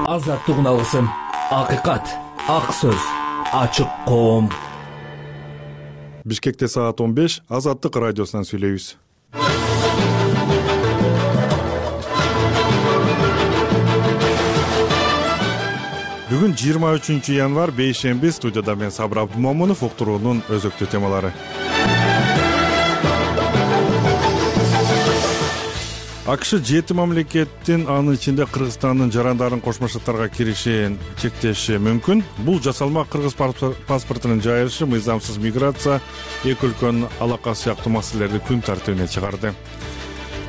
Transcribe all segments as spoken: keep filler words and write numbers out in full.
Азаттык алгысым, акыйкат, ак сөз, ачык коом. Бишкекте саат он беш, Азаттык радиосунан сүйлөйбүз. Бүгүн жыйырма үчүнчү январь, бейшемби. Студияда мен Сабыр Абдумомунов. Уктуруунун өзөктүү темалары. АКШ жети мамлекеттин, анын ичинде Кыргызстандын жарандарын Кошмо Штаттарга киришин чектеши мүмкүн. Бул жасалма кыргыз паспортунун жайылышы, мыйзамсыз миграция, эки өлкөнүн алакасы сыяктуу маселелерди күн тартибине чыгарды.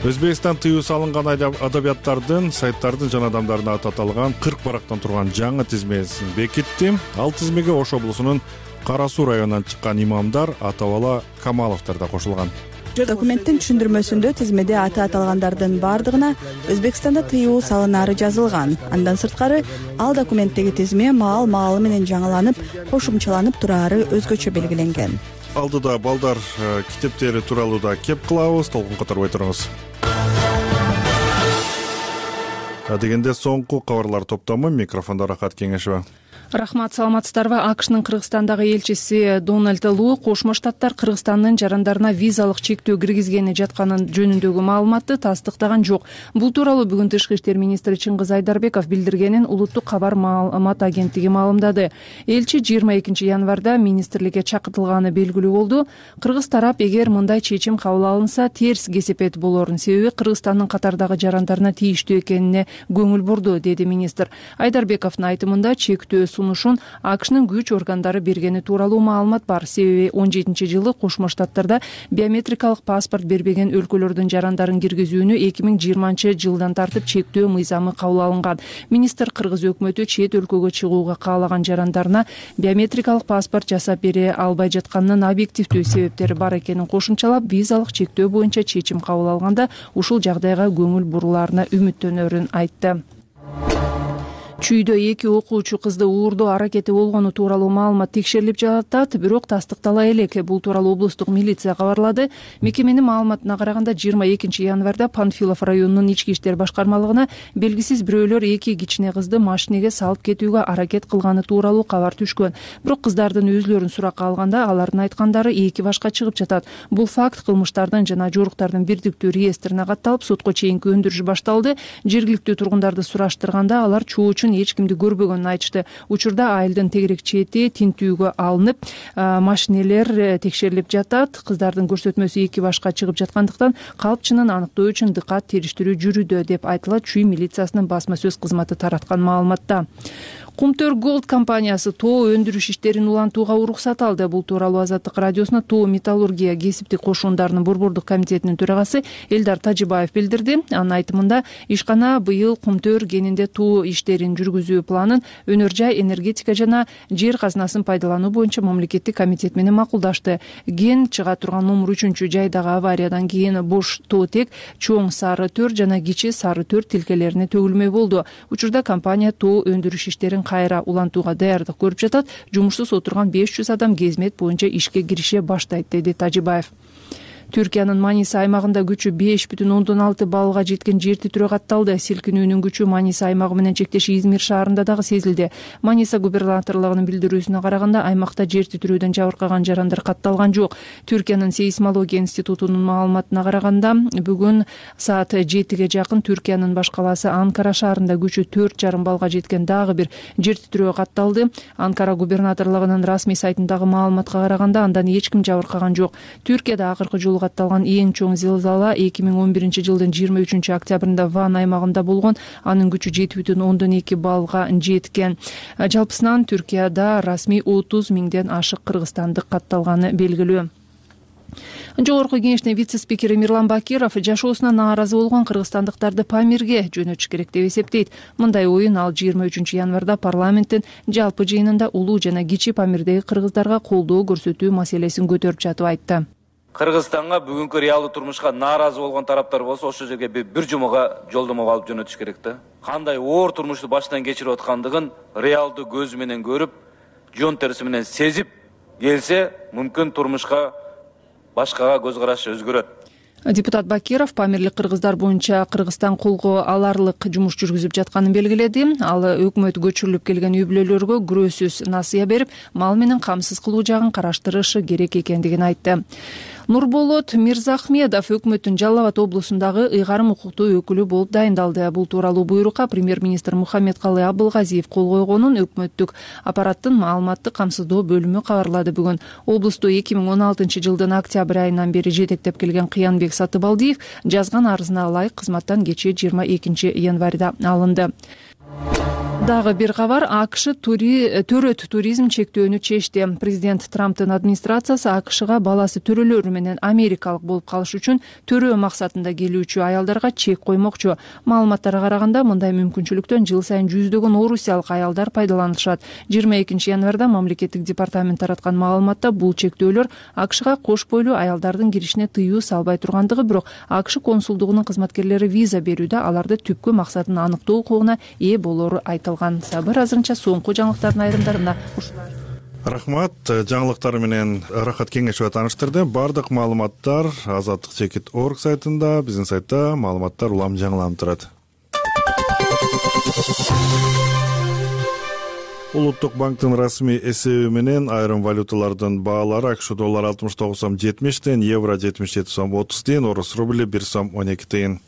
Өзбекстан тыюу салынган адабияттардын, сайттардын жана адамдардын аты аталган кырк барактан турган жаңы тизмесин бекитти. Ал тизмеге Ош облусунун Кара Суу районунан чыккан имамдар, Атабала Камаловдор да кошулган. Документтин түшүндүрмөсүндө тизмеде аты аталгандардын бардыгына Өзбекстанда тыюу салынары жазылган. Андан сырткары ал документтеги тизме маал-маалы менен жаңыланып, кошумчаланып турары өзгөчө белгиленген. Алдыда балдар китептери тууралуу да кеп кылабыз, толкун которбой туруңуз. Дегенде соңку кабарлар топтому, микрофондо Рахат Кеңешева. Рахмат, саламатсыздарбы? АКШнын Кыргызстандагы элчиси Дональд Лу Кошмо Штаттар Кыргызстандын жарандарына визалык чектөө киргизгени жатканын жөнүндөгү маалыматты тастыктаган жок. Бул тууралуу бүгүн Тышкы иштер министри Чыңгыз Айдарбеков билдиргенин Улуттук кабар маалымат агенттиги маалымдады. Элчи жыйырма экинчи январда министрликке чакыртылганы белгилүү болду. Кыргыз тарап эгер мындай чечим кабыл алынса терс кесепет болорун, себеби Кыргызстандын катардагы жарандарына тийиштүү экенине көңүл бурду, деди министр. Айдарбековдун айтымында чектөө сунушун АКШнын күч органдары бергени тууралуу маалымат бар. Себеби он жетинчи жылы Кошмо Штаттарда биометрикалык паспорт бербеген өлкөлөрдүн жарандарын киргизүүнү эки миң жыйырманчы жылдан тартып чектөө мыйзамы кабыл алынган. Министр кыргыз өкмөтү чет өлкөгө чыгууга каалаган жарандарына биометрикалык паспорт жасап бере албай жатканынын объективдүү себептери бар экенин кошумчалап, визалык чектөө боюнча чечим кабыл алганда ушул жагдайга көңүл буруларына үмүттөнөрүн айтты. Чүйдө эки окуучу кызды уурдоо аракети болгону тууралуу маалымат текшерилип жатат, бирок тастыктала элек. Бул тууралуу облустук милиция кабарлады. Мекеменин маалыматына караганда жыйырма экинчи январда Панфилов районунун ички иштер башкармалыгына белгисиз бирөөлөр эки кичине кызды машинеге салып кетүүгө аракет кылганы тууралуу кабар түшкөн. Бирок кыздардын өзүлөрүн суракка алганда алардын айткандары эки башка чыгып жатат. Бул факт кылмыштардын жана жоруктардын бирдиктүү реестрине катталып, сотко чейинки өндүрүш башталды. Жергиликтүү тургундарды сураштырганда алар чуу эч кимди көрбөгөнүн айтышты. Учурда айылдын тегерек чети тинтүүгө алынып, машинелер текшерилип жатат. Кыздардын көрсөтмөсү эки башка чыгып жаткандыктан калпчынын аныктоо үчүн дыкат териштирүү жүрүүдө, деп айтылат Чүй милициясынын басма сөз кызматы тараткан маалыматта. Кумтөр Голд компаниясы тоо өндүрүш иштерин улантууга уруксат алды. Бул тууралуу Азаттык радиосуна тоо металлургия кесиптик кошундарынын борбордук комитетинин төрагасы Элдар Тажибаев билдирди. Анын айтымында ишкана быйыл Кумтөр кенинде тоо иштерин жүргүзүү планын өнөр жай, энергетика жана жер казынасын пайдалануу боюнча мамлекеттик комитет менен макулдашты. Ген чыга турган номер үчүнчү жайдагы авариядан кийин бош тоотек чоң сары төр жана кичи сары төр тилкелерине төгүлмөй болду. Учурда компания тоо өндүрүш иштерин кайра улантууга даярдык көрүп жатат. Жумушсуз отурган беш жүз адам кезмет боюнча ишке кирише баштайт, деди Тажибаев. Түркиянын Маниса аймагында күчү беш бүтүн ондон алты баллга жеткен жер титирөө катталды. Силкинүүнүн күчү Маниса аймагы менен чектеш Измир шаарында дагы сезилди. Маниса губернаторлугунун билдирүүсүнө караганда, аймакта жер титирөөдөн жабыркаган жарандар катталган жок. Түркиянын сейсмология институтунун маалыматына караганда, бүгүн саат жетиге жакын Түркиянын баш калаасы Анкара шаарында күчү төрт жарым баллга жеткен дагы бир жер титирөө катталды. Анкара губернаторлугунун расмий сайтындагы маалыматка караганда, андан эч ким жабыркаган жок. Түркияда акыркы жолу катталган эң чоң зилзала эки миң он биринчи жылдын жыйырма үчүнчү октябрында Ван аймагында болгон. Анын күчү жети бүтүн ондон эки баллга жеткен. Жалпысынан Түркияда расмий отуз миңден ашык кыргызстандык катталганы белгилүү. Жогорку кеңештин вице-спикери Мирлан Бакиров жашоосуна нааразы болгон кыргызстандыктарды Памирге жөнөтүш керек деп эсептейт. Мындай оюн ал жыйырма үчүнчү январда парламенттин жалпы жыйынында улуу жана кичи Памирдеги кыргыздарга колдоо көрсөтүү маселесин көтөрүп жатып айтты. Кыргызстанга бүгүнкү реалдуу турмушка нааразы болгон тараптар болсо, ошол жерге бир жумага жолдомо алып жөнөтүш керек да. Кандай оор турмушту баштан кечирип аткандыгын реалдуу көзү менен көрүп, жон териси менен сезип келсе, мүмкүн турмушка башкага көз карашы өзгөрөт. Депутат Бакиров памирлик кыргыздар боюнча Кыргызстан колго аларлык жумуш жүргүзүп жатканын белгиледи. Ал өкмөт көчүрүлүп келген үй бүлөлөргө күрөөсүз насыя берип, мал менен камсыз кылуу жагын караштырышы керек экендигин айтты. Нурболот Мирзахмедов өкмөттүн Жалал Абад облусундагы ыйгарым укуктуу өкүлү болуп дайындалды. Бул тууралуу буйрукка премьер-министр Мухаммедкалый Абылгазиев кол койгонун өкмөттүк аппараттын маалыматтык камсыздоо бөлүмү кабарлады бүгүн. Облусту эки миң он алтынчы жылдын октябрь айынан бери жетектеп келген Кыянбек Сатыбалдиев жазган арызына ылайык кызматтан кечээ жыйырма экинчи январда алынды. Дагы бир кабар. АКШ төрөт туризм чектөөнү чечти. Президент Трамптын администрациясы АКШга баласы төрөлөр менен америкалык болуп калыш үчүн төрөө максатында келүүчү аялдарга чек коймокчу. Маалыматтарга караганда мындай мүмкүнчүлүктөн жыл сайын жүздөгөн орусиялык аялдар пайдаланышат. жыйырма экинчи январда мамлекеттик департамент тараткан маалыматта бул чектөөлөр АКШга кош бойлуу аялдардын киришине тыюу салбай тургандыгы, бирок АКШ консулдугунун кызматкерлери виза берүүдө аларды түпкү максатын аныктоо укугуна ээ болору айтылган. Сабыр азырынча соңку жаңылыктардын айрымдарына ушулар. Рахмат. Жаңылыктар менен Рахат Кеңешова тааныштырды. Бардык маалыматтар азаттык чекит точка орг сайтында, биздин сайтта маалыматтар улам жаңыланып турат. Улуттук банктын расмий эсеби менен айрым валюталардын баалары АКШ доллары алтымыш тогуз сом жетимиш тыйын, евро жетимиш жети сом отуз тыйын, орус рубли бир сом он эки тыйын.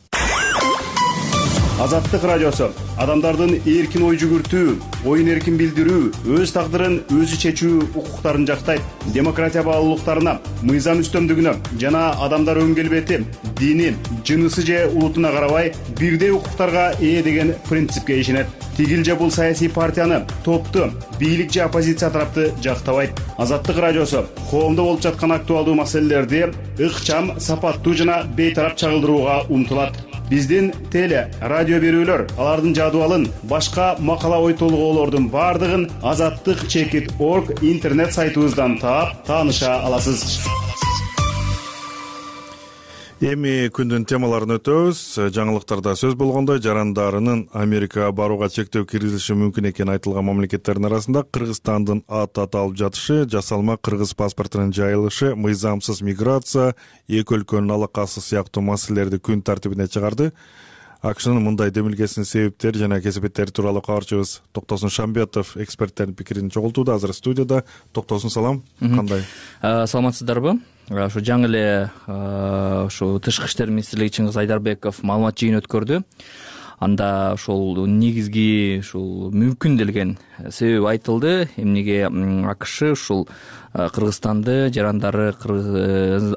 Азаттык радиосу адамдардын эркин ой жүгүртүү, оюн эркин билдирүү, өз тагдырын өзү чечүү укуктарын жактайт. Демократия баалуулуктарына, мыйзам үстөмдүгүнө жана адамдар өн келбети, дини, жынысы же улутуна карабай бирдей укуктарга ээ деген принципке ишенет. Тигил же бул саясий партияны, топту, бийлик же оппозиция тарапты жактабайт. Азаттык радиосу коомдо болуп жаткан актуалдуу маселелерди ыкчам, сапаттуу жана бейтарап чагылдырууга умтулат. Биздин теле, радио берүүлөр, алардын жадыбалын, башка макала ой толгоолордун бардыгын азаттык чекит точка орг интернет сайтыбыздан таап, тааныша аласыз. Эми күндүн темаларын өтөбүз. Жаңылыктарда сөз болгондой, жарандарынын Америкага барууга чектөө киргизилиши мүмкүн экени айтылган мамлекеттердин арасында Кыргызстандын аты аталып жатышы, жасалма кыргыз паспортунун жайылышы, мыйзамсыз миграция, эки өлкөнүн алакасы сыяктуу маселелерди күн тартибине чыгарды. АКШнын мындай демилгесинин себептери жана кесепеттери тууралуу кабарчыбыз Токтосун Шамбетов эксперттердин пикирин чогултууда. Азыр студияда. Токтосун, салам. Кандай? Саламатсыздарбы? Ошо жаңы эле ошо Тышкы иштер министрлиги Чыңгыз Айдарбеков маалымат жыйын өткөрдү. Анда ошол негизги ушул мүмкүн делген себеп айтылды. Эмнеге АКШ ушул Кыргызстанды жарандары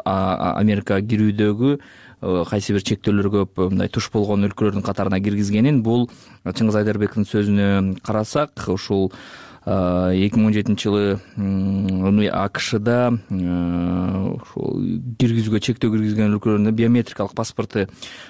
Америкага кирүүдөгү кайсы бир чектөөлөргө мындай туш болгон өлкөлөрдүн катарына киргизгенин, бул Чыңгыз Айдарбековдун сөзүнө карасак, ушул эки миң он жетинчи жылы АКШда ошол киргизүүгө чектөө киргизген өлкөлөрдө биометрикалык паспорту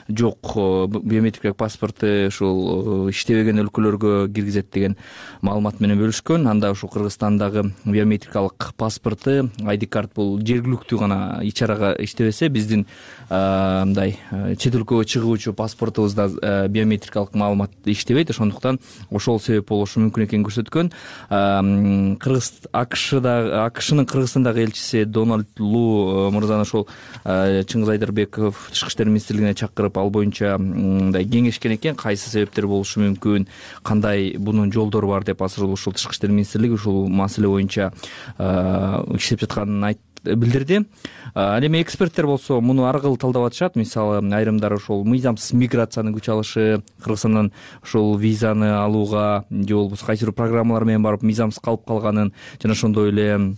жок, биометрикалык паспорту ушул иштебеген өлкөлөргө киргизет деген маалымат менен бөлүшкөн. Анда ушул Кыргызстандагы биометрикалык паспорту ай ди карт бул жергиликтүү гана ичарага иштебесе, биздин мындай чет өлкөгө чыгуучу паспортубузда биометрикалык маалымат иштебейт. Ошондуктан ошол себеп болушу мүмкүн экенин көрсөткөн. Кыргыз АКШда АКШнын Кыргызстандагы элчиси Дональд Лу мырзаны ошол Чыңгыз Айдарбеков Тышкы иштер министрлигине чакырып, ал боюнча мындай кеңешкен экен, кайсы себептер болушу мүмкүн, кандай бунун жолдору бар деп. Азыр ушул Тышкы иштер министрлиги ушул маселе боюнча иштеп жатканын айтты, билдирди. Ал эми эксперттер болсо муну ар кыл талдап атышат. Мисалы, айрымдары ошол мыйзамсыз миграциянын күч алышы, Кыргызстандан ошол визаны алууга же болбосо кайсы бир программалар менен барып мыйзамсыз калып калганын, жана ошондой эле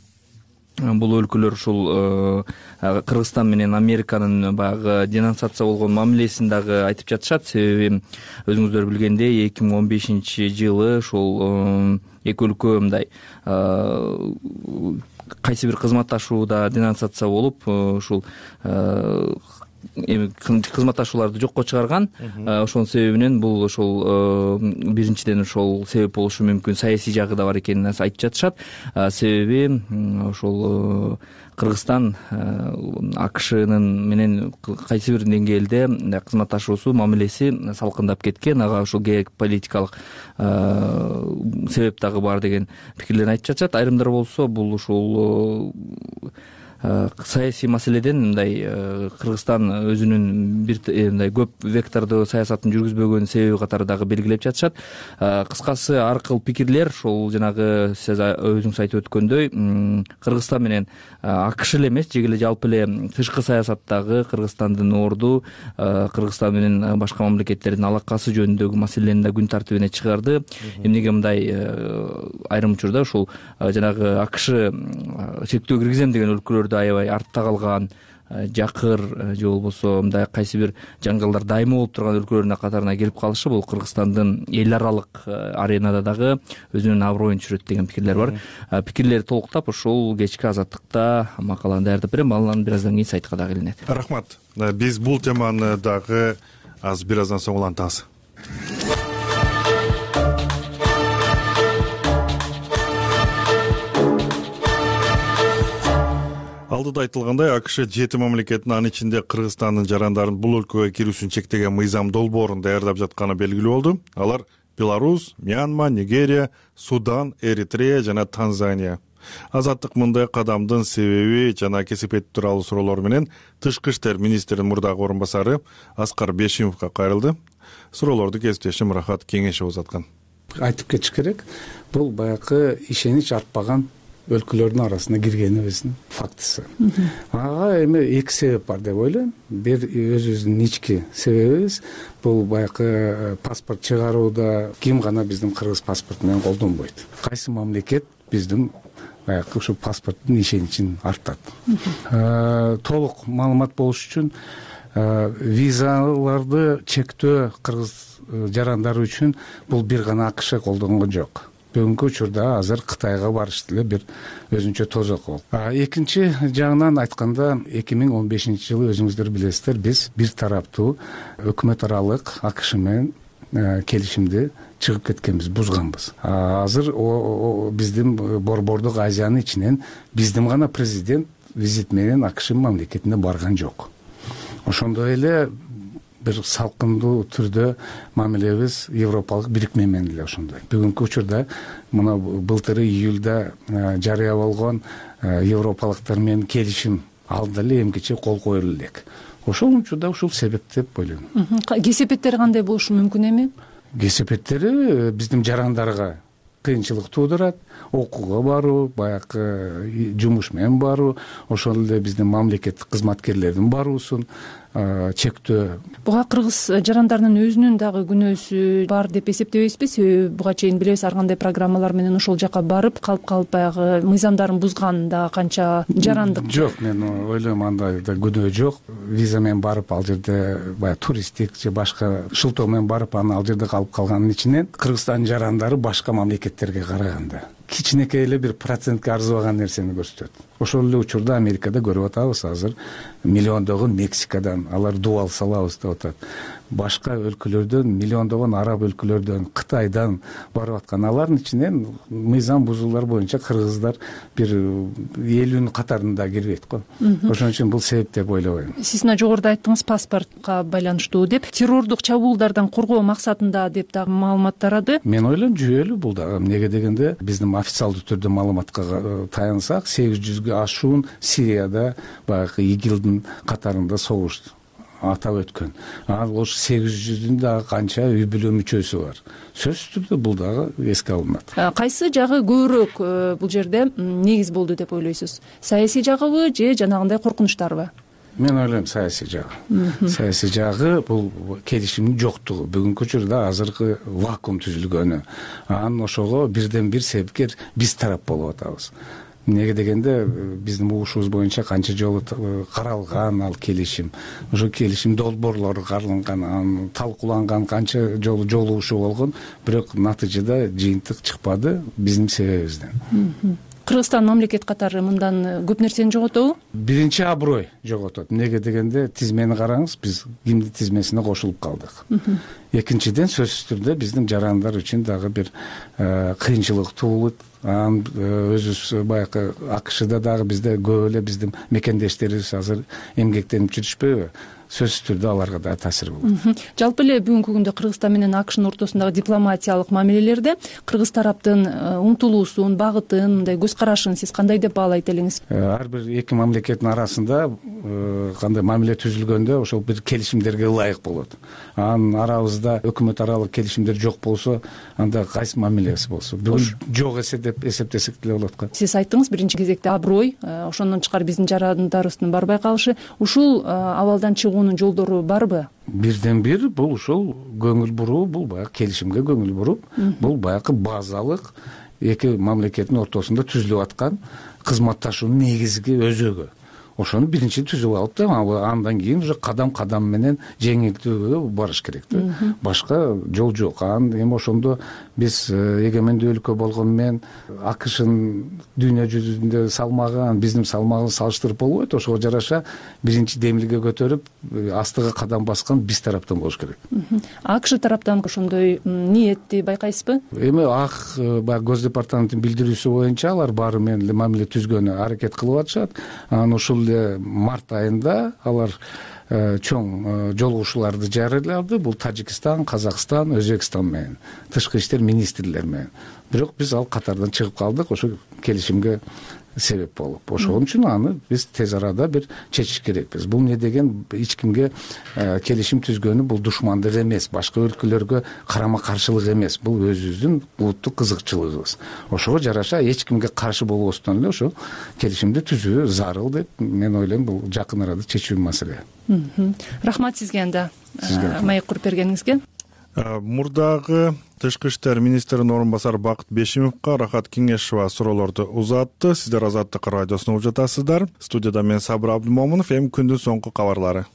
бул өлкөлөр ушул Кыргызстан менен Американын баягы денонсация болгон мамилесин дагы айтып жатышат. Себеби өзүңүздөр билгендей, эки миң он бешинчи жылы ушул эки өлкө мындай кайсы бир кызматташууда денонсация болуп, ушул эми кызматташууларды жокко чыгарган. Ошонун себебинен бул ошол биринчиден ошол себеп болушу мүмкүн, саясий жагы да бар экенин айтып жатышат. Себеби ошол Кыргызстан АКШнын менен кайсы бир деңгээлде кызматташуусу, мамилеси салкындап кеткен. Ага ушул геополитикалык себеп дагы бар деген пикирлерин айтып жатышат. Айрымдар болсо бул ушул саясий маселеден мындай Кыргызстан өзүнүн бир мындай көп вектордуу саясатын жүргүзбөгөн себеби катары дагы белгилеп жатышат. Кыскасы ар кыл пикирлер ошол жанагы сиз өзүңүз айтып өткөндөй Кыргызстан менен АКШ эле эмес, жеке эле жалпы эле тышкы саясаттагы Кыргызстандын орду, Кыргызстан менен башка мамлекеттердин алакасы жөнүндөгү маселени да күн тартибине чыгарды. Эмнеге мындай айрым учурда ушул жанагы АКШ чектөө киргизем деген өлкөлөрдө аябай артта калган, жакыр же болбосо мындай кайсы бир жаңгалдар дайыма болуп турган өлкөлөрдүн катарына келип калышы бул Кыргызстандын эл аралык аренада дагы өзүнүн аброюн түшүрөт деген пикирлер бар. Пикирлерди толуктап ушул кечки Азаттыкта макаланы даярдап берем, анан бир аздан кийин сайтка дагы илинет. Рахмат. Биз бул теманы дагы азыр бир аздан соң улантабыз. Алдыда айтылгандай, АКШ жети мамлекеттин, анын ичинде Кыргызстандын жарандарын бул өлкөгө кирүүсүн чектеген мыйзам долбоорун даярдап жатканы белгилүү болду. Алар Беларусь, Мьянма, Нигерия, Судан, Эритрея жана Танзания. Азаттык мындай кадамдын себеби жана кесипети тууралуу суроолор менен Тышкы иштер министринин мурдагы орун басары Аскар Бешимовго кайрылды. Суроолорду кесиптешим Рахат Кеңешев узаткан. Айтып кетиш керек, бул баягы ишенич артпаган өлкөлөрдүн арасына киргенибиздин фактысы. Ага эми эки себеп бар деп ойлойм. Бир өзүбүздүн ички себебибиз бул баягы паспорт чыгарууда ким гана биздин кыргыз паспорту менен колдонбойт. Кайсы мамлекет биздин баягы ушу паспорттун ишеничин артат. Толук маалымат болуш үчүн визаларды чектөө кыргыз жарандары үчүн бул бир гана АКШ колдонгон жок. Бүгүнкү учурда азыр Кытайга барыш деле бир өзүнчө тозок болду. Экинчи жагынан айтканда, эки миң он бешинчи жылы өзүңүздөр билесиздер, биз бир тараптуу өкмөт аралык АКШ менен келишимди чыгып кеткенбиз, бузганбыз. Азыр биздин Борбордук Азиянын ичинен биздин гана президент визит менен АКШ мамлекетине барган жок. Ошондой эле бир салкындуу түрдө мамилебиз Европалык бирикме менен эле ошондой. Бүгүнкү учурда мына былтыры июлда жарыя болгон европалыктар менен келишим алда эле эмкиче кол коюлду элек. Ошол учурда ушул себеп деп ойлойм. Кесепеттери кандай болушу мүмкүн эми? Кесепеттери биздин жарандарга кыйынчылык туудурат, окууга баруу, баягы жумуш менен баруу, ошол эле биздин мамлекеттик кызматкерлердин баруусун чектөө. Буга кыргыз жарандарынын өзүнүн дагы күнөөсү бар деп эсептебейсизби? Себеби буга чейин билебиз, ар кандай программалар менен ошол жака барып, калып калып баягы мыйзамдарын бузган да канча жарандык. Жок, мен ойлойм андай да күнөө жок. Виза менен барып ал жерде баягы туристтик же башка шылтоо менен барып анан ал жерде калып калганын ичинен Кыргызстандын жарандары башка мамлекеттерге караганда кичинекей эле бир процентке арзыбаган нерсени көрсөтөт. Ошол эле учурда Америкада көрүп атабыз азыр миллиондогон Мексикадан алар дуал салабыз деп атат. Башка өлкөлөрдөн, миллиондогон араб өлкөлөрдөн, Кытайдан барып аткан, алардын ичинен мыйзам бузуулар боюнча кыргыздар бир элүүнүн катарында кирбейт го. Ошон үчүн бул себеп деп ойлобойм. Сиз мына жогоруда айттыңыз, паспортко байланыштуу деп, террордук чабуулдардан коргоо максатында деп дагы маалымат тарады. Мен ойлойм жүйөлүү бул дагы. Эмнеге дегенде, биздин официалдуу түрдө маалыматка таянсак, сегиз жүзгө ашуун Сирияда баягы игилдин катарында согуш атап өткөн. Ал ошо сегиз жүздүн дагы канча үй бүлө мүчөсү бар. Сөзсүз түрдө бул дагы эске алынат. Кайсы жагы көбүрөөк бул жерде негиз болду деп ойлойсуз? Саясий жагыбы же жанагындай коркунучтарбы? Мен ойлойм саясий жагы. Саясий жагы бул келишимдин жоктугу. Бүгүнкү учурда азыркы вакуум түзүлгөнү. Анан ошого бирден бир себепкер биз тарап болуп атабыз. Эмнеге дегенде, биздин угушубуз боюнча канча жолу каралган ал келишим, ошо келишим долбоорлору каралган, анан талкууланган, канча жолу жолугушуу болгон, бирок натыйжада жыйынтык чыкпады биздин себебибизден. Кыргызстан мамлекет катары мындан көп нерсени жоготобу? Биринчи аброй жоготот. Эмнеге дегенде, тизмени караңыз, биз кимдин тизмесине кошулуп калдык. Экинчиден, сөзсүз түрдө биздин жарандар үчүн дагы бир кыйынчылык туулут. Анан өзүбүз баягы АКШда дагы бизде көп эле биздин мекендештерибиз азыр эмгектенип жүрүшпөйбү? сөзсүз түрдө аларга да таасир болот. Жалпы эле бүгүнкү күндө Кыргызстан менен АКШнын ортосундагы дипломатиялык мамилелерде кыргыз тараптын умтулуусун, багытын, мындай көз карашын сиз кандай деп баалайт элеңиз? Ар бир эки мамлекеттин арасында кандай мамиле түзүлгөндө ошол бир келишимдерге ылайык болот. Анын арабызда өкмөт аралык келишимдер жок болсо, анда кайсы мамилеси болсо, бүгүн жок эсе деп эсептесек деле болот го. Сиз айттыңыз биринчи кезекте аброй, ошондон тышкары биздин жарандарыбыздын барбай калышы, ушул абалдан чыгуунун жолдору барбы? Бирден бир бул ушул көңүл буруу, бул баягы келишимге көңүл буруп, бул баягы базалык эки мамлекеттин ортосунда түзүлүп аткан кызматташуунун негизги өзөгү. Ошону биринчи түзүп алып да, андан кийин уже кадам кадам менен жеңилтүүгө барыш керек да. Башка жол жок. Анан эми ошондо биз эгемендүү өлкө болгону менен АКШнын дүйнө жүзүндө салмагы, биздин салмагыбыз салыштырып болбойт. Ошого жараша биринчи демилге көтөрүп, астыга кадам баскан биз тараптан болуш керек. АКШ тараптан ошондой ниетти байкайсызбы? Эми ак баягы Гос департаменттин билдирүүсү боюнча алар баары менен эле мамиле түзгөнү аракет кылып атышат. Анан ушул март айында алар чоң жолугушууларды жарыялады. Бул Тажикстан, Казакстан, Өзбекстан менен, тышкы иштер министрлери менен. Бирок биз ал катардан чыгып калдык, ошо келишимге себеп болуп. Ошон үчүн аны биз тез арада бир чечиш керекпиз. Бул не деген эч кимге келишим түзгөнү бул душмандык эмес, башка өлкөлөргө карама каршылык эмес. Бул өзүбүздүн улуттук кызыкчылыгыбыз. Ошого жараша эч кимге каршы болбостон эле ошо келишимди түзүү зарыл деп мен ойлойм. Бул жакын арада чечүү маселе. Рахмат сизге анда маек куруп бергениңизге. Мурдагы тышкы иштер министринин орун басары Бакыт Бешимовго Рахат Кеңешова суроолорду узатты. Сиздер Азаттык радиосун угуп жатасыздар. Студияда мен Сабыр Абдымомунов. Эми күндүн соңку кабарлары.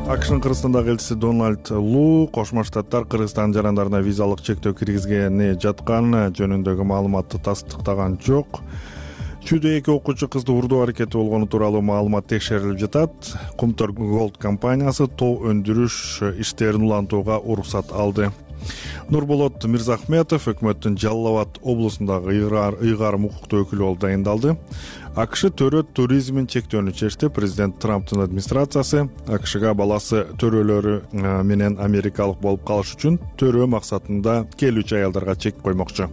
АКШнын Кыргызстандагы элчиси Дональд Лу Кошмо Штаттар Кыргызстан жарандарына визалык чектөө киргизгени жатканы жөнүндөгү маалыматты тастыктаган жок. Чүйдө эки окуучу кызды урдоо аракети болгону тууралуу маалымат текшерилип жатат. Кумтор Голд компаниясы тоо өндүрүш иштерин улантууга уруксат алды. Нурболот Мирзахметов өкмөттүн Жалал Абад облусундагы ыйгарым укуктуу өкүлү болуп дайындалды. АКШ төрөт туризмин чектөөнү чечти. Президент Трамптын администрациясы АКШга баласы төрөлөрү менен америкалык болуп калыш үчүн төрөө максатында келүүчү аялдарга чек коймокчу.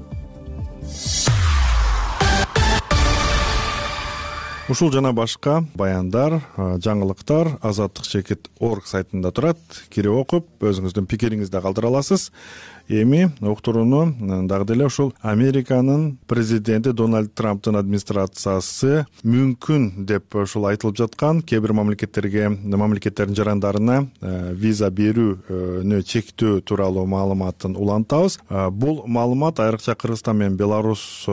Ушул жана башка баяндар, жаңылыктар азаттык чекит точка орг сайтында турат. Кирип окуп, өзүңүздүн пикириңизди калтыра аласыз. Эми уктурууну дагы деле ушул Американын президенти Дональд Трамптын администрациясы мүмкүн деп ушул айтылып жаткан кээ бир мамлекеттерге, мамлекеттердин жарандарына виза берүүнү чектөө тууралуу маалыматын улантабыз. Бул маалымат айрыкча Кыргызстан менен Беларусь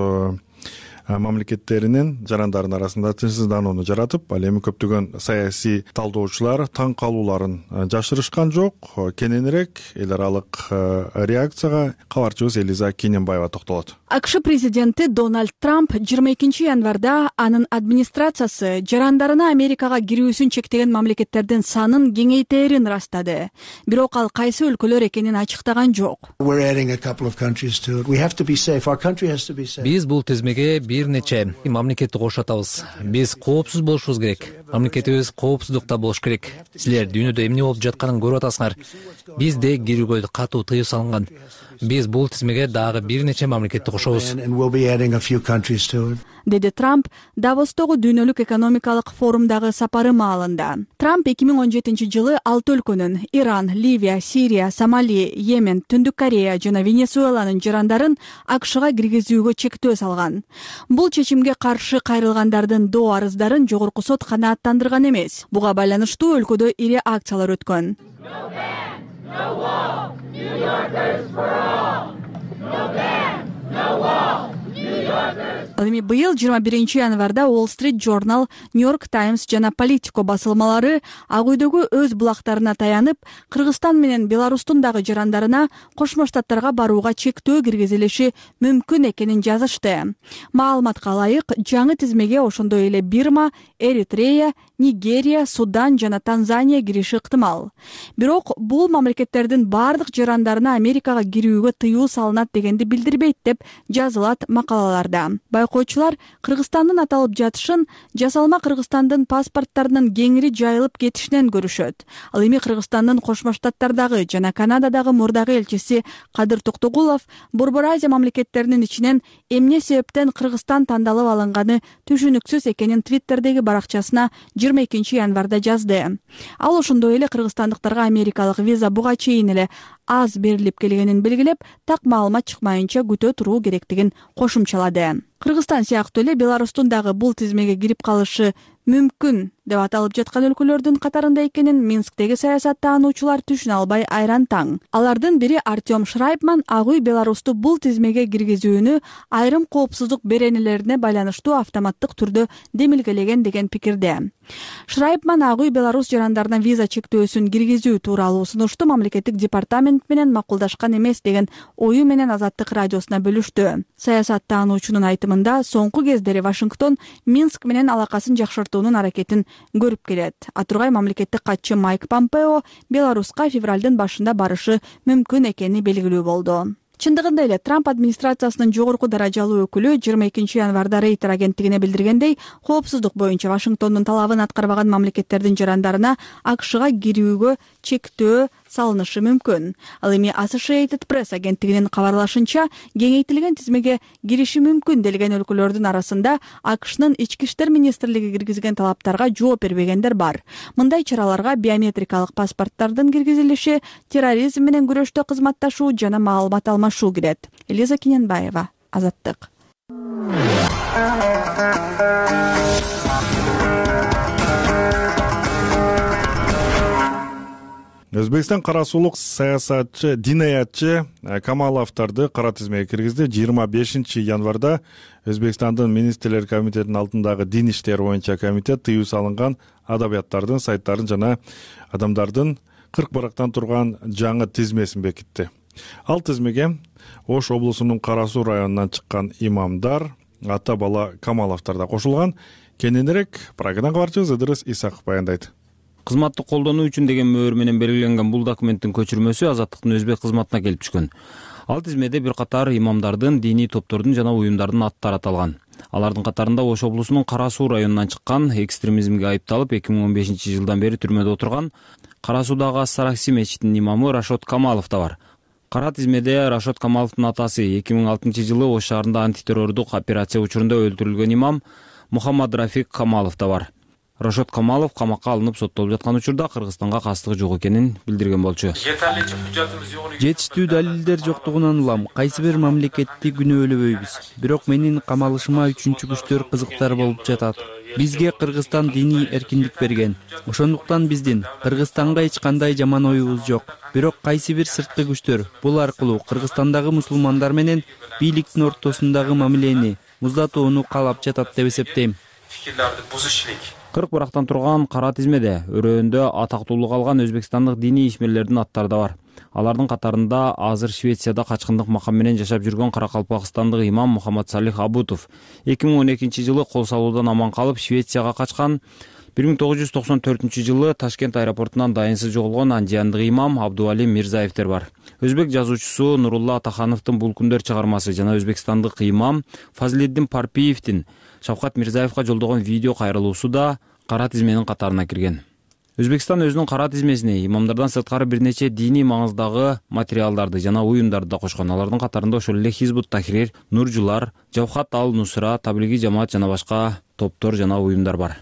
мамлекеттеринин жарандарынын арасында тынчсызданууну жаратып, ал эми көптөгөн саясий талдоочулар таң калууларын жашырышкан жок. Кененирээк эл аралык реакцияга кабарчыбыз Элиза Кененбаева токтолот. АКШ президенти Дональд Трамп жыйырма экинчи январда анын администрациясы жарандарына Америкага кирүүсүн чектеген мамлекеттердин санын кеңейтерин ырастады. Бирок ал кайсы өлкөлөр экенин ачыктаган жок. Биз бул тизмеге бир нече мамлекетти кошотабыз. Биз коопсуз болушубуз керек. Мамлекетибиз коопсуздукта болуш керек. Силер дүйнөдө эмне болуп жатканын көрүп атасыңар. Бизде кирүүгө катуу тыюу салынган. Биз бул тизмеге дагы бир нече мамлекетти кошобуз. Деди Трамп Давостогу дүйнөлүк экономикалык форумдагы сапары маалында. Трамп эки миң он жетинчи жылы алты өлкөнүн Иран, Ливия, Сирия, Сомали, Йемен, Түндүк Корея жана Венесуэланын жарандарын АКШга киргизүүгө чектөө салган. Бул чечимге каршы кайрылгандардын доо арыздарын жогорку сот канааттандырган эмес. Буга байланыштуу өлкөдө ири акциялар өткөн. Ал эми быйыл жыйырма биринчи январда Wall Street Journal, New York Times жана Politico басылмалары Ак үйдөгү өз булактарына таянып, Кыргызстан менен Беларустун дагы жарандарына Кошмо Штаттарга барууга чектөө киргизилиши мүмкүн экенин жазышты. Маалыматка ылайык, жаңы тизмеге ошондой эле Бирма, Эритрея, Нигерия, Судан жана Танзания кириши ыктымал. Бирок бул мамлекеттердин бардык жарандарына Америкага кирүүгө тыюу салынат дегенди билдирбейт деп жазылат макалаларда. окуучулар Кыргызстандын аталып жатышын жасалма Кыргызстандын паспорттарынын кеңири жайылып кетишинен көрүшөт. Ал эми Кыргызстандын Кошмо Штаттардагы жана Канададагы мурдагы элчиси Кадыр Токтогулов Борбор Азия мамлекеттеринин ичинен эмне себептен Кыргызстан тандалып алынганы түшүнүксүз экенин Твиттердеги баракчасына жыйырма экинчи январда жазды. Ал ошондой эле кыргызстандыктарга америкалык виза буга чейин эле аз берилип келгенин белгилеп, так маалымат чыкмайынча күтө туруу керектигин кошумчалады. Кыргызстан сыяктуу эле Беларустун дагы бул тизмеге кирип калышы мүмкүн деп аталып жаткан өлкөлөрдүн катарында экенин Минсктеги саясат таануучулар түшүнө албай айран таң. Алардын бири Артем Шрайбман Ак үй Беларусту бул тизмеге киргизүүнү айрым коопсуздук беренелерине байланыштуу автоматтык түрдө демилгелеген деген пикирде. Шрайбман Ак үй Беларус жарандарына виза чектөөсүн киргизүү тууралуу сунушту мамлекеттик департамент менен макулдашкан эмес деген ою менен Азаттык радиосуна бөлүштү. Саясат таануучунун айтымында соңку кездери Вашингтон Минск менен алакасын жакшыртуунун аракетин көрүп келет. Атургай мамлекеттик катчы Майк Помпео Беларуска февралдын башында барышы мүмкүн экени белгилүү болду. Чындыгында эле Трамп администрациясынын жогорку даражалуу өкүлү жыйырма экинчи январда Рейтер агенттигине билдиргендей, коопсуздук боюнча Вашингтондун талабын аткарбаган мамлекеттердин жарандарына АКШга кирүүгө чектөө салынышы мүмкүн. Ал эми Associated Press агенттигинин кабарлашынча, кеңейтилген тизмеге кириши мүмкүн делген өлкөлөрдүн арасында АКШнын ички иштер министрлиги киргизген талаптарга жооп бербегендер бар. Мындай чараларга биометрикалык паспорттардын киргизилиши, терроризм менен күрөштө кызматташуу жана маалымат алмашуу кирет. Элиза Кененбаева, Азаттык. Өзбекстан кара сулук саясатчы, динаятчы Камаловдорду кара тизмеге киргизди. жыйырма бешинчи январда Өзбекстандын министрлер комитетинин алдындагы дин иштери боюнча комитет тыюу салынган адабияттардын, сайттардын жана адамдардын кырк барактан турган жаңы тизмесин бекитти. Ал тизмеге Ош облусунун Кара Суу районунан чыккан имамдар, ата бала Камаловдор да кошулган. Кененирээк программа кабарчыбыз Ыдырыс Исаков баяндайт. Кызматты колдонуу үчүн деген мөөр менен белгиленген бул документтин көчүрмөсү Азаттыктын өзбек кызматына келип түшкөн. Ал тизмеде бир катар имамдардын, диний топтордун жана уюмдардын аттары аталган. Алардын катарында Ош облусунун Кара Суу районунан чыккан, экстремизмге айыпталып эки миң он бешинчи жылдан бери түрмөдө отурган Кара Суудагы Ас-Саракси мечитинин имамы Рашод Камалов да бар. Кара тизмеде Рашод Камаловдун атасы эки миң алтынчы жылы Ош шаарында антитеррордук операция учурунда өлтүрүлгөн имам Мухаммад Рафик Камалов да бар. Рашод Камалов камакка алынып соттолуп жаткан учурда Кыргызстанга кастыгы жок экенин билдирген болчу. Жетиштүү далилдер жоктугунан улам кайсы бир мамлекетти күнөөлөбөйбүз. Бирок менин камалышыма үчүнчү күчтөр кызыктар болуп жатат. Бизге Кыргызстан диний эркиндик берген. Ошондуктан биздин Кыргызстанга эч кандай жаман оюбуз жок. Бирок кайсы бир сырткы күчтөр бул аркылуу Кыргызстандагы мусулмандар менен бийликтин ортосундагы мамилени муздатууну каалап жатат деп эсептейм. кырк барактан турган кара тизмеде өрөөндө атактуулук алган өзбекстандык диний ишмерлердин аттары да бар. Алардын катарында азыр Швецияда качкындык макам менен жашап жүргөн каракалпакстандык имам Мухаммад Салих Абутов эки миң он экинчи жылы кол салуудан аман калып Швецияга качкан, бир миң тогуз жүз токсон төртүнчү жылы Ташкент аэропортунан дайынсыз жоголгон андиандык имам Абдуали Мирзаевдер бар. Өзбек жазуучусу Нурулла Атахановдун Бул күндөр чыгармасы жана өзбекстандык имам Фазлиддин Парпиевдин Шавкат Мирзаевга жолдогон видео кайрылуусу да кара тизменин катарына кирген. Өзбекстан өзүнүн кара тизмесине имамдардан сырткары бир нече диний маңыздагы материалдарды жана уюмдарды да кошкон. Алардын катарында ошол эле Хизбут Тахрир, Нуржулар, Жавхат ал-Нусра, Таблиги жамаат жана башка топтор жана уюмдар бар.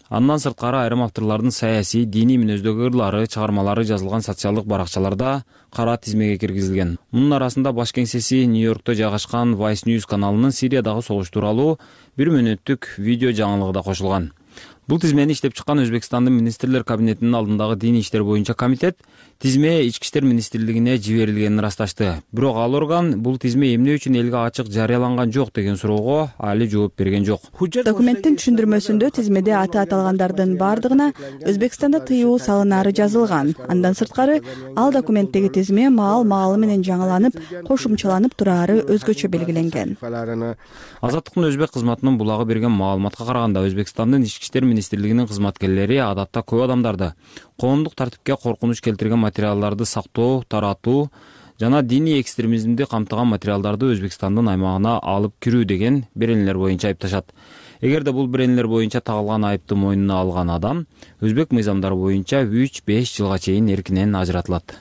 Андан сырткары айрым авторлордун саясий, диний мүнөздөгү ырлары, чыгармалары жазылган социалдык баракчаларда кара тизмеге киргизилген. Мунун арасында баш кеңсеси Нью-Йоркто жайгашкан Vice News каналынын Сириядагы согуш тууралуу бир мүнөттүк видео жаңылыгы да кошулган. Бул тизмени иштеп чыккан Өзбекстандын министрлер кабинетинин алдындагы диний иштер боюнча комитет тизме ички иштер министрлигине жиберилгенин ырасташты. Бирок ал орган бул тизме эмне үчүн элге ачык жарыяланган жок деген суроого али жооп берген жок. Документтин түшүндүрмөсүндө тизмеде аты аталгандардын бардыгына Өзбекстанда тыюу салынары жазылган. Андан сырткары ал документтеги тизме маал-маалы менен жаңыланып, кошумчаланып турары өзгөчө белгиленген. Азаттыктын өзбек кызматынын булагы берген маалыматка караганда Өзбекстандын ички иштер министрлигинин кызматкерлери адатта көп адамдарды коомдук тартипке коркунуч келтирген материалдарды сактоо, таратуу жана диний экстремизмди камтыган материалдарды Өзбекстандын аймагына алып кирүү деген беренелер боюнча айыпташат. Эгерде бул беренелер боюнча тагылган айыпты мойнуна алган адам өзбек мыйзамдары боюнча үч беш жылга чейин эркинен ажыратылат.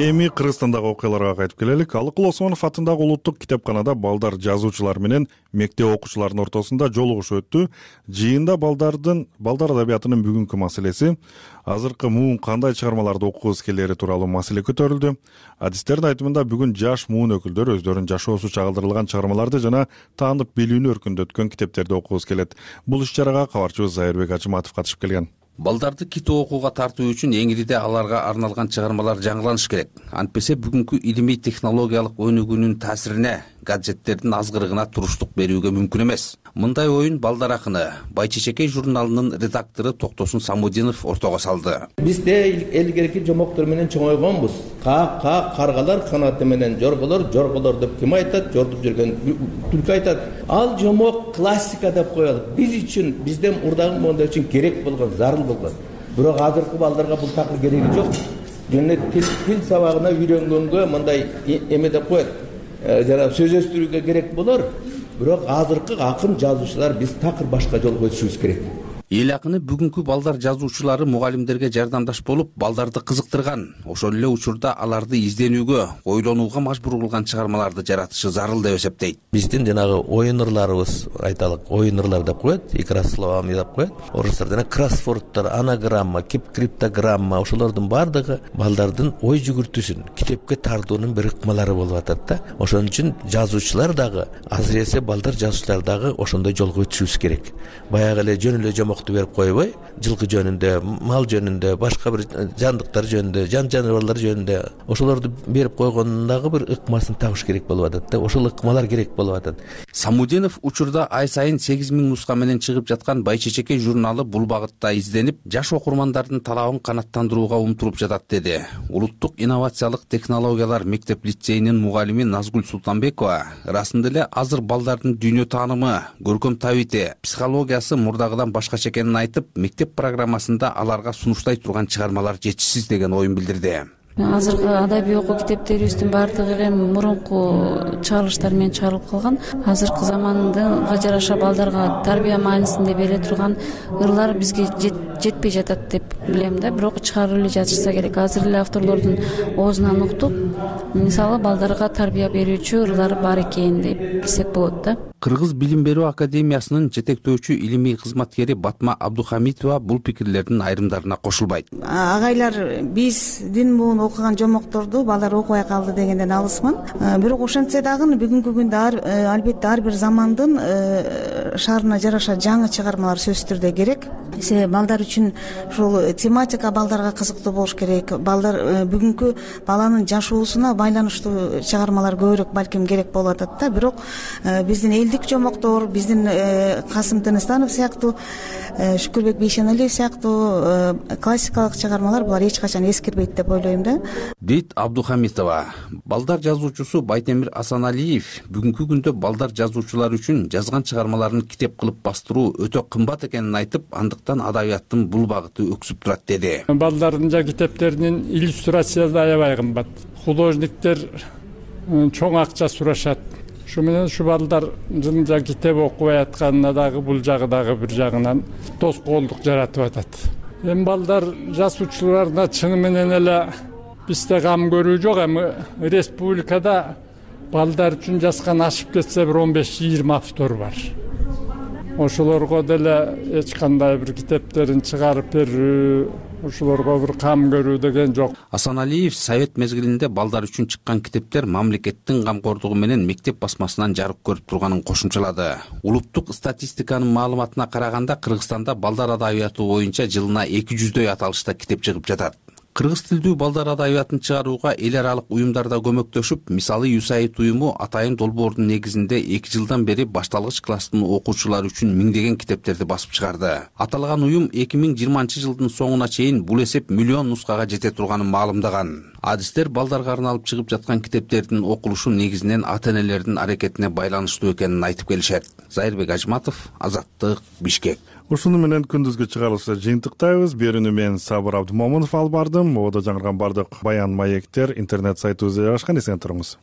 Эми Кыргызстандагы окуяларга кайтып келелик. Алыкул Осмонов атындагы улуттук китепканада балдар жазуучулар менен мектеп окуучуларынын ортосунда жолугуш өттү. Жыйында балдардын балдар адабиятынын бүгүнкү маселеси, азыркы муун кандай чыгармаларды окугубуз келери тууралуу маселе көтөрүлдү. Адистердин айтымында бүгүн жаш муун өкүлдөрү өздөрүнүн жашоосу чагылдырылган чыгармаларды жана таандык билүүнү өркүндөткөн китептерди окугубуз келет. Бул иш-чарага кабарчыбыз Зайырбек Ачыматов катышып келген. Балдарды китеп окууга тартуу үчүн эңирде аларга арналган чыгармалар жаңыланыш керек. Антпесе бүгүнкү илимий технологиялык өнүгүүнүн таасирине гаджеттердин азгырыгына туруштук берүүгө мүмкүн эмес. Мындай оюн балдар акыны Байчечекей журналынын редактору Токтосун Самудинов ортого салды. Бизде элгерки жомоктор менен чоңойгонбуз. Каа каа каргалар канаты менен жорголор, жорголор деп ким айтат? Жортуп жүргөн түлкү айтат. Ал жомок классика деп коелу. Биз үчүн, бизден урдагы моундар үчүн керек болгон, зарыл болгон. Бирок азыркы балдарга бул такыр кереги жок. Жөн тил, тил сабагына үйрөнгөнгө мындай эме деп коет. Жана сөз өстүрүүгө керек болор. Бирок азыркы акын жазуучулар биз такыр башка жолго өтүшүбүз керек. Эл акыны бүгүнкү балдар жазуучулары мугалимдерге жардамдаш болуп, балдарды кызыктырган, ошол эле учурда аларды изденүүгө, ойлонууга мажбур кылган чыгармаларды жаратышы зарыл деп эсептейт. Биздин жанагы оюн ырларыбыз, айталык, оюн ырлар деп коет, игра словами деп коет. Орустар жана кроссвордтор, анаграмма, криптограмма, ошолордун баардыгы балдардын ой жүгүртүүсүн, китепке тартуунун бир ыкмалары болуп атат да. Ошон үчүн жазуучулар дагы, азыресе балдар жазуучулар дагы ошондой жолго өтүшүбүз керек. Баягы эле жөн эле жомок берип койбой, жылкы жөнүндө, мал жөнүндө, башка бир жандыктар жөнүндө, жан жаныбарлар жөнүндө ошолорду берип койгондагы бир ыкмасын табыш керек болуп атат да. Ошол ыкмалар керек болуп атат. Самудинов учурда ай сайын сегиз миң нуска менен чыгып жаткан Байчечекей журналы бул багытта изденип, жаш окурмандардын талабын канааттандырууга умтулуп жатат деди. Улуттук инновациялык технологиялар мектеп лицейинин мугалими Назгүл Султанбекова ырасында эле азыр балдардын дүйнө таанымы, көркөм табити, психологиясы мурдагыдан башкача экенин айтып, мектеп программасында аларга сунуштай турган чыгармалар жетишсиз деген оюн билдирди. Азыркы адабий окуу китептерибиздин баардыгы эле мурунку чыгарылыштар менен чыгарылып калган. Азыркы заманга жараша балдарга тарбия маанисинде бере турган ырлар бизге жетпей жатат деп билем да. Бирок чыгарып эле жатышса керек. Азыр эле авторлордун оозунан уктуп, мисалы балдарга тарбия берүүчү ырлар бар экен деп билсек болот да. Кыргыз билим берүү академиясынын жетектөөчү илимий кызматкери Батма Абдухамитова бул пикирлердин айрымдарына кошулбайт. Агайлар биздин муун окуган жомокторду балдар окубай калды дегенден алысмын. Бирок ошентсе дагы бүгүнкү күндө албетте ар бир замандын шаарына жараша жаңы чыгармалар сөзсүз түрдө керек. Себеби балдар үчүн ушул тематика балдарга кызыктуу болуш керек. Балдар бүгүнкү баланын жашоосуна байланыштуу чыгармалар көбүрөөк балким керек болуп атат да. Бирок биздин элдик жомоктор, биздин Касым Тыныстанов сыяктуу, Шүкүрбек Бейшеналиев сыяктуу классикалык чыгармалар булар эч качан эскирбейт деп ойлойм да. Дейт Абдухамитова. Балдар жазуучусу Байтемир Асаналиев бүгүнкү күндө балдар жазуучулар үчүн жазган чыгармаларын китеп кылып бастыруу өтө кымбат экенин айтып, андыктан адабияттын бул багыты өксүп турат деди. Балдардын жа китептеринин иллюстрациясы аябай кымбат. Художниктер чоң акча сурашат. Шу менен ушу балдардын жа китеп окубай атканына дагы бул жагы дагы бир жагынан тоскоолдук жаратып атат. Эми балдар жазуучуларына чыны менен эле бизде кам көрүү жок, эми республикада балдар үчүн жазган ашып кетсе бир он беш жыйырма автор бар. Ошолорго деле эч кандай бир китептерин чыгарып берүү, ошолорго бир кам көрүү деген жок. Асаналиев совет мезгилинде балдар үчүн чыккан китептер мамлекеттин камкордугу менен мектеп басмасынан жарык көрүп турганын кошумчалады. Улуттук статистиканын маалыматына караганда Кыргызстанда балдар адабияты боюнча жылына эки жүздөй аталышта китеп чыгып жатат. Кыргыз тилдүү балдар адабиятын чыгарууга эл аралык уюмдар да көмөктөшүп, мисалы ЮСАИД уюму Атайын долбоордун негизинде эки жылдан бери башталгыч класстын окуучулары үчүн миңдеген китептерди басып чыгарды. Аталган уюм эки миң жыйырманчы жылдын соңуна чейин бул эсеп миллион нускага жете турганын маалымдаган. адистер балдарга арналып чыгып жаткан китептердин окулушу негизинен ата энелердин аракетине байланыштуу экенин айтып келишет. Зайырбек Ажматов, Азаттык, Бишкек. Ушуну менен күндүзгү чыгарылышты жыйынтыктайбыз. Берүүнү мен Сабыр Абдымомунов алып бардым. Ободо жаңырган бардык баян маектер интернет сайтыбызда жайгашкан. Эсен туруңуз.